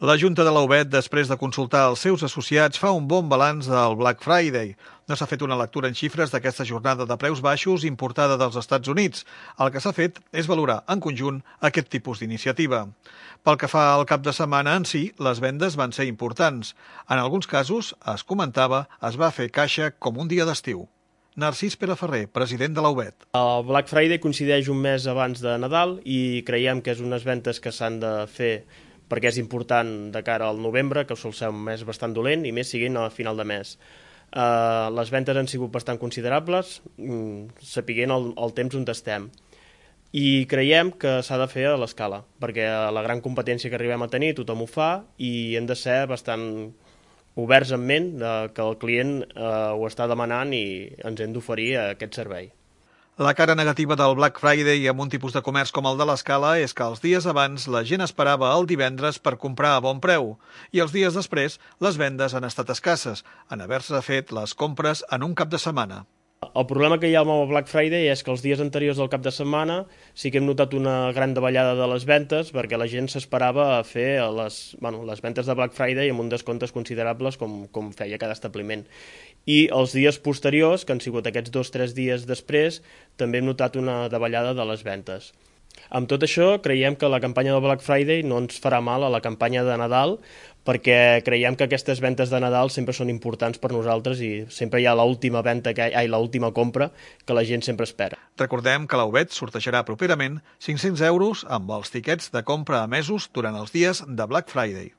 La Junta de la UBET, després de consultar els seus associats, fa un bon balanç del Black Friday. No s'ha fet una lectura en xifres d'aquesta jornada de preus baixos importada dels Estats Units. El que s'ha fet és valorar en conjunt aquest tipus d'iniciativa. Pel que fa al cap de setmana en si, les vendes van ser importants. En alguns casos, es comentava, es va fer caixa com un dia d'estiu. Narcís Pereferrer, president de la UBET. El Black Friday coincideix un mes abans de Nadal i creiem que és unes ventes que s'han de fer perquè és important de cara al novembre, que sol ser un mes bastant dolent, i més siguin a final de mes. Les ventes han sigut bastant considerables, sapiguent el temps on estem. I creiem que s'ha de fer a l'escala, perquè la gran competència que arribem a tenir tothom ho fa i hem de ser bastant oberts en ment que el client ho està demanant i ens hem d'oferir aquest servei. La cara negativa del Black Friday amb un tipus de comerç com el de l'Escala és que els dies abans la gent esperava el divendres per comprar a bon preu i els dies després les vendes han estat escasses, en haver-se fet les compres en un cap de setmana. El problema que hi ha amb el Black Friday és que els dies anteriors del cap de setmana sí que hem notat una gran davallada de les ventes perquè la gent s'esperava a fer les ventes de Black Friday amb uns descomptes considerables com feia cada establiment. I els dies posteriors, que han sigut aquests 2 o 3 dies després, també hem notat una davallada de les ventes. Amb tot això, creiem que la campanya del Black Friday no ens farà mal a la campanya de Nadal perquè creiem que aquestes ventes de Nadal sempre són importants per nosaltres i sempre hi ha l'última compra que la gent sempre espera. Recordem que la UBET sortejarà properament 500 € amb els tiquets de compra emesos durant els dies de Black Friday.